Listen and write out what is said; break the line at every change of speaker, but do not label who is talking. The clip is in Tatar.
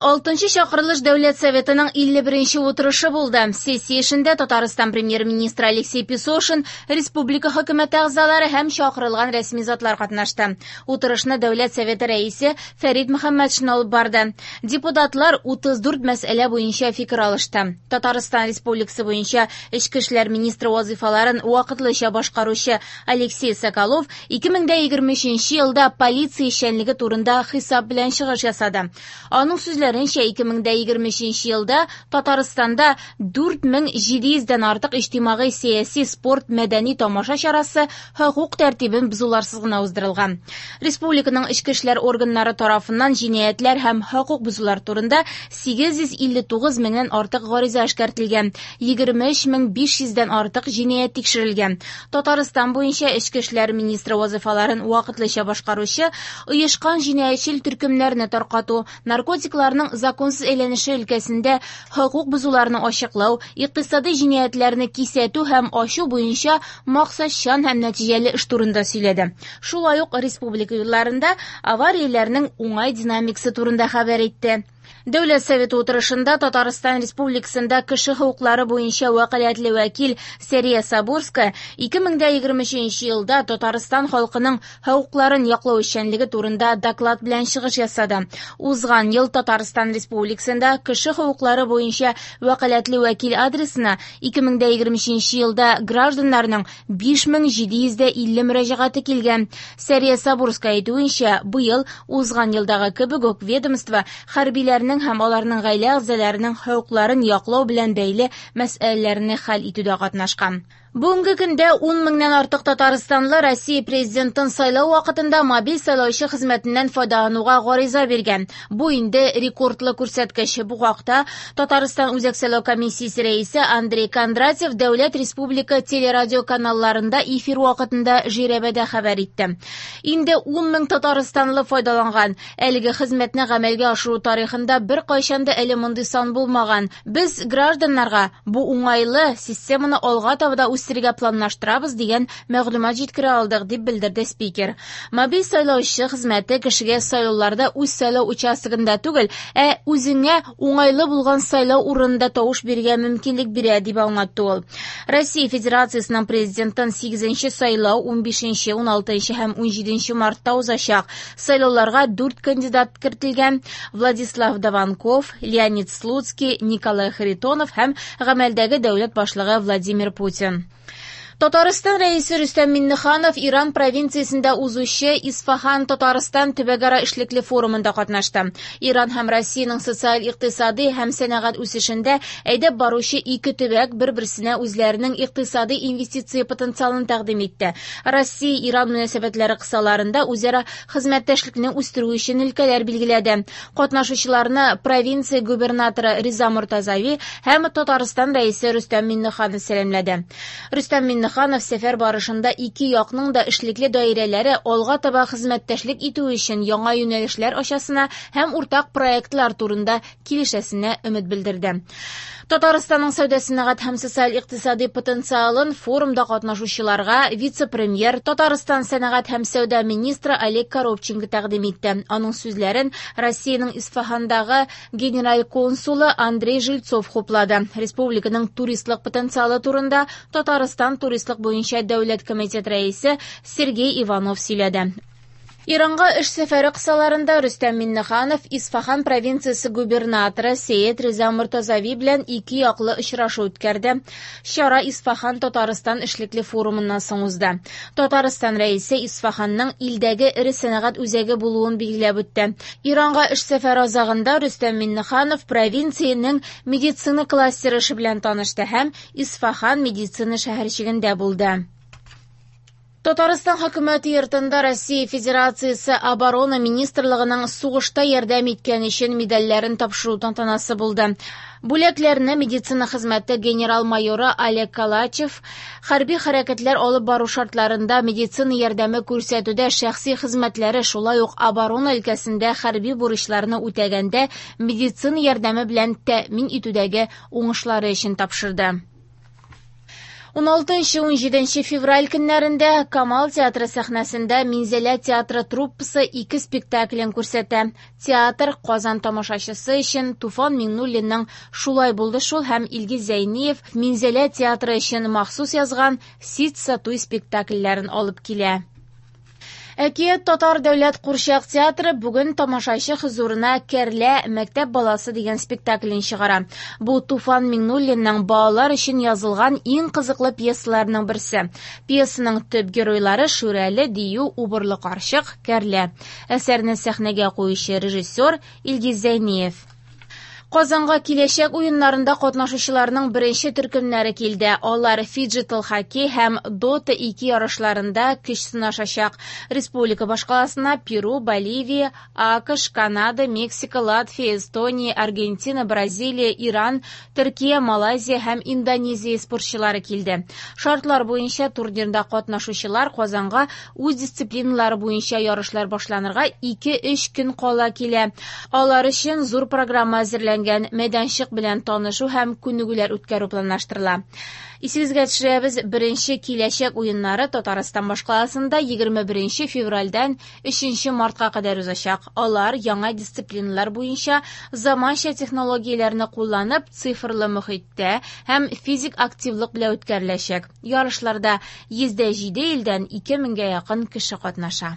Алтынчы чакырылыш Дәүләт Советының 51 утырышы булды. Сессия эшендә Татарстан премьер-министры Алексей Песошин, республика хөкүмәте әгъзалары һәм чакырылган рәсми затлар катнашты. Утырышны Дәүләт Советы рәисе Фәрит Мөхәммәтшин алып барды. Депутатлар 34 мәсьәлә буенча фикер алышты. Татарстан Республикасы буенча эчке эшләр министры вазыйфаларын вакытлыча башкаручы Алексей Соколов 2023 елда полиция эшчәнлеге турында хисап белән чыгыш ясады. Аның сүзләренчә, 2023 елда Татарстанда 4700 дән артык иҗтимагый, сәяси, спорт, мәдәни тамаша чарасы хокук тәртибен бозуларсыз гына уздырылган. Республиканың эчке эшләр органнары тарафыннан җинаятьләр һәм хокук бозулар турында 859 меңнән артык гариза эшкәртелгән, 23500 дән артык җинаять тикшерелгән. Татарстан буенча эчке эшләр министры вазыйфаларын вакытлыча башкаручы оешкан җинаятьчел төркемнәрне таркату, наркотикларның законсыз әйләнеше өлкәсендә хокук бозуларны ачыклау, икътисадый җинаятьләрне кисәтү һәм ачу буенча максатчан һәм нәтиҗәле эш турында сөйләде. Шулай ук республика юлларында аварияләрнең уңай динамикасы турында хәбәр итте. Дәүләт Советы утырышында Татарстан Республикасында кеше хокуклары буенча вәкаләтле вәкил Сәрия Сабурская 2023 елда Татарстан халкының хокукларын яклау эшчәнлеге турында доклад белән чыгыш ясады. Узган ел Татарстан Республикасында кеше хокуклары буенча вәкаләтле вәкил адресына 2023 елда гражданнарның 5750 мөрәҗәгате килгән. Сәрия Сабурская әйтүенчә, быел узган елдагы кебек үк ведомство хәрбиләрнең һәм аларның гаилә әгъзаларының хокукларын яклау белән бәйле мәсьәләләрне хәл итүдә катнашкан. Бүгенге көндә 10 меңнән артык татарстанлы Россия президентын сайлау вакытында мобиль сайлаучы хезмәтеннән файдалануга гариза биргән. Бу инде рекордлы күрсәткеч. Бу хакта Татарстан Үзәк сайлау комиссиясе рәисе Андрей Кондратьев дәүләт республика телерадио каналларында эфир вакытында жирәбәдә хәбәр итте. Инде 10 мең татарстанлы файдаланган. Әлеге хезмәтне гамәлгә ашыру тарихында беркайчан да әле мондый сан булмаган. Без гражданнарга бу уңайлы системаны алга таба да үстерергә планлаштырабыз дигән мәгълүмат җиткерә алдык, дип белдерде спикер. Мобиль сайлаучы хезмәте кешегә сайлауларда үз сайлау участогында түгел, ә үзеңә уңайлы булган сайлау урынында тавыш бирергә мөмкинлек бирә, дип аңлатты ул. Россия Федерациясенең президентын 8 сайлау 15, 16 һәм 17 мартта узачак. Сайлауларга 4 кандидат кертелгән: Владислав Даванков, Леонид Слуцкий, Николай Харитонов һәм гамәлдәге дәүләт башлыгы Владимир Путин. Татарстан рәисе Рөстәм Миңнеханов Иран провинциясендә узучы Исфаһан Татарстан төбәкара эшлекле форумында катнашты. Иран һәм Россиянең социаль-икътисади һәм сәнәгать үсешендә әйдәп баручы ике төбәк бер-берсенә үзләренең икътисади инвестиция потенциалын тәкъдим итте. Россия-Иран мөнәсәбәтләре кысаларында үзара хезмәттәшлекне үстерү өчен өлкәләр билгеләде. Катнашучыларны провинция губернаторы Риза Мортазави һәм Татарстан рәисе Рөстәм Миңнеханов сәламләде. Рөстәм Миңнеханов сәфәр барышында ике якның да эшлекле даирәләре алга таба хезмәттәшлек итү өчен яңа юнәлешләр ачасына һәм уртак проектлар турында килешәсенә өмет белдерде. Татарстанның сәүдә сәнәгать һәм социаль-икътисади потенциалын форумда катнашучыларга вице-премьер, Татарстан сәнәгать һәм сәүдә министры Олег Коробченко тәкъдим итте. Аның сүзләрен Россиянең Исфахандагы генераль консулы Андрей Жильцов хуплады. Республиканың туристлык потенциалы турында Татарстан туристлык буенча дәүләт комитет рәисе Сергей Иванов сөйләде. Иранга эш сәфәре кысаларында Рөстәм Миңнеханов Исфахан провинциясе губернаторы Сәет Риза Мортазави белән ике яклы очрашу үткәрде. Чара Исфахан Татарстан эшлекле форумыннан соң узды. Татарстан рәисе Исфаханның илдәге эре сәнәгать үзәге булуын билгеләп үтте. Иранга эш сәфәре азагында Рөстәм Миңнеханов провинциянең медицина кластеры эше белән танышты һәм Исфахан медицина шәһәрчегендә булды. Татарстан хөкүмәте йортында Россия Федерациясе Оборона Министрлыгының сугышта ярдәм иткән өчен медальләрен тапшыру тантанасы булды. Бүләкләрне медицина хезмәте генерал-майоры Олег Калачев хәрби хәрәкәтләр алып бару шартларында медицина ярдәме күрсәтүдә шәхси хезмәтләре, шулай ук оборона өлкәсендә хәрби бурычларны үтәгәндә медицина ярдәме белән тәэмин итүдәге уңышлары өчен тапшырды. 16-17 февраль көннәрендә Камал театры сәхнәсендә Минзәлә театры труппасы ике спектаклен күрсәтә. Театр Казан тамашачысы өчен Туфан Миңнуллинның «Шулай булды шул» һәм Илгиз Зәйниев Минзәлә театры өчен махсус язган «Ситса туй» спектакльләрен алып килә. Әкият татар дәүләт курчак театры бүген тамашачы хозурына «Кәрлә мәктәп баласы» дигән спектаклен чыгара. Бу Туфан Миңнуллинның балалар өчен язылган иң кызыклы пьесаларының берсе. Пьесаның төп геройлары Шүрәле, Дию, Убырлы карчык, Кәрлә. Әсәрне сәхнәгә куючы режиссер Илгиз Зәйниев. Казанга киләчәк уеннарында катнашучыларның беренче төркемнәре килде. Алар фиджитал хоккей һәм Dota 2 ярышларында көч сынашачак. Республика башкаласына Перу, Боливия, АКШ, Канада, Мексика, Латвия, Эстония, Аргентина, Бразилия, Иран, Төркия, Малайзия һәм Индонезия спортчылары килде. Шартлар буенча турнирда катнашучылар Казанга үз дисциплиналары буенча ярышлар башланырга 2-3 көн кала килә. Алар өчен зур программа әзерләнгән, мәйданчык белән танышу һәм күнегүләр үткәрү планлаштырыла. Исегезгә төшерәбез, беренче киләчәк уеннары Татарстан башкаласында 21 февральдән 3 мартка кадәр узачак. Алар яңа дисциплиналар буенча заманча технологияләрне кулланып, цифрлы мохиттә һәм физик активлык белән үткәреләчәк. Ярышларда 107 илдән 2000гә якын кеше катнаша.